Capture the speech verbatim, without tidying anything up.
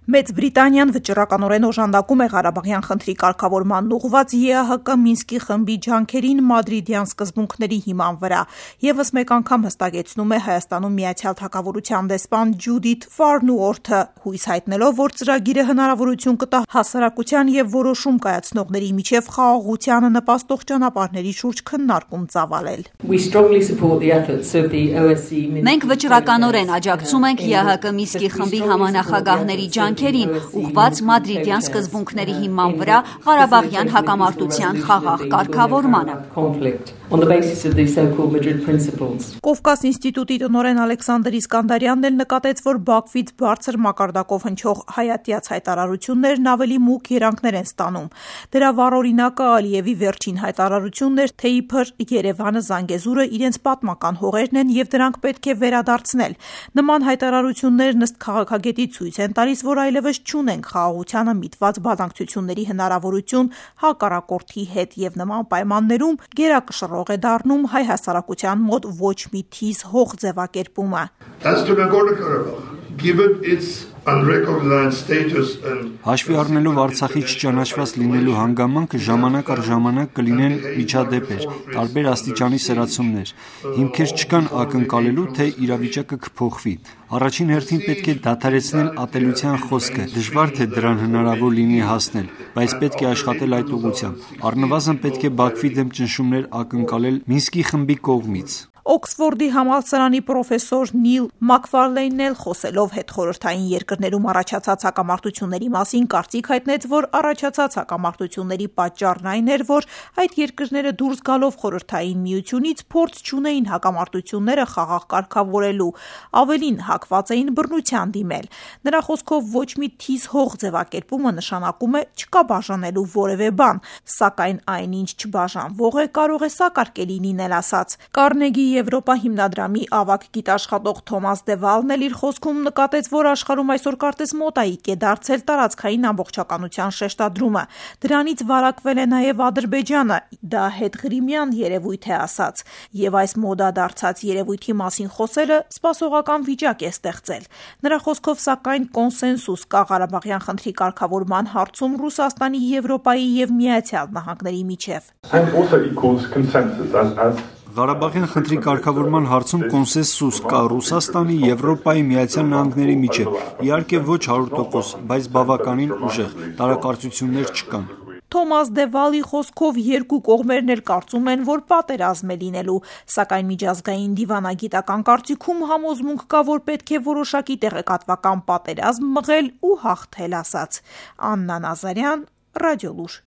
Մեծ Բրիտանիան վճռականորեն օժանդակում է Ղարաբաղյան խնդրի կարգավորմանն ուղղված ԵԱՀԿ Մինսկի խմբի ջանքերին մադրիդյան սկզբունքների հիման վրա։ Եվս մեկ անգամ հստակեցնում է Հայաստանում Միացյալ Թագավորության դեսպան Ջուդիթ Ֆարնուորթը, հույս հայտնելով, որ ծրագիրը հնարավորություն կտա հասարակության և որոշում կայացնողների միջև խաղաղությանը նպաստող ճանապարհների շուրջ քննարկում ծավալել։ Մենք վճռականորեն աջակցում ենք ԵԱՀԿ Մինսկի խմբի համանախագահների ջանքերին, ուղղված մադրիդյան սկզբունքների հիման վրա Ղարաբաղյան հակամարտության խաղաղ կարգավորմանը։ Կովկաս ինստիտուտի տնօրեն Ալեքսանդր Իսկանդարյանն էլ նկատեց, որ Բաքվից բարձր մակարդակով հնչող հայատյաց հայտարարություններն ավելի մուգ երանգներ են ստանում։ Դրա վառօրինակը Ալիևի վերջին հայտարարությունն էր, թե իբր Երևանը, Զանգեզուրը իրենց պատմական հողերն են և դրանք պետք է վերադարձնել։ Նման հայտարարություններն ըստ քաղաքագետի ցույց են տալիս, որ այլևս չունենք խաղաղությանը միտված բանակցությունների հնարավորություն հակառակորդի հետ և նման պայմաններում գերակշռող է դառնում հայ հասարակության մոտ ոչ մի թիզ հող ձևակերպումը։ Հաշվի առնելով Արցախի չճանաչված լինելու հանգամանքը, ժամանակ առ ժամանակ կլինեն միջադեպեր, տարբեր աստիճանի սրացումներ։ Հիմքեր չկան ակնկալելու, թե իրավիճակը կփոխվի։ Առաջին հերթին պետք է դադարեցնել ատելության խոսքը, դժվար թե դրան հնարավոր լինի հասնել, բայց պետք է աշխատել այդ ուղղությամբ։ Առնվազն պետք է Բաքվի դեմ ճնշումներ ակնկալել Մինսկի խմբի կողմից։ Օքսֆորդի համալսարանի պրոֆեսոր Նիլ Մակֆարլեյնն էլ խոսելով հետխորհրդային երկրներում առաջացած հակամարտությունների մասին կարծիք հայտնեց, որ առաջացած հակամարտությունների պատճառն այն էր, որ այդ երկրները դուրս գալով խորհրդային միությունից փորձ չունեին հակամարտությունները խաղաղ կարգավորելու, ավելին հակված էին բռնության դիմել։ Նրա խոսքով ոչ մի թիզ հող ձևակերպումը նշանակում է չկա բաժանելու որևէ բան, սակայն այնինչ չբաժանվող է կարող է սակարկելի լինել ասաց։ Կարնեգի Եվրոպա հիմնադրամի ավագ գիտաշխատող Թոմաս Դևալն էլ իր խոսքում նկատեց, որ աշխարհում այսօր կարծես մոտայիկ է դարձել տարածքային ամբողջականության շեշտադրումը։ Դրանից վարակվել է նաև Ադրբեջանը, դա հետղրիմյան երևույթ է ասաց, և այս մոդա դարձած երևույթի մասին խոսելը սպասողական վիճակ է ստեղծել։ Նրա խոսքով սակայն կոնսենսուս կա Ղարաբաղյան խնդրի կարգավորման հարցում Ռուսաստանի, Եվրոպայի և Միացյալ Նահանգների միջև։ Ղարաբաղյան խնդրի կարգավորման հարցում կոնսենսուս կա Ռուսաստանի, Եվրոպայի, Միացյալ Նահանգների միջև։ Իհարկե ոչ հարյուր տոկոս, բայց բավականին ուժեղ, տարակարծություններ չկան։ Թոմաս Դևալի խոսքով երկու կողմերն էլ կարծում են, որ պատերազմ է լինելու, սակայն միջազգային դիվանագիտական կարծիքում համոզմունք կա, որ պետք է որոշակի տեղեկատվական պատերազմ մղել ու հաղթել ասաց։ Աննա Նազարյան, Ռադիոլուր։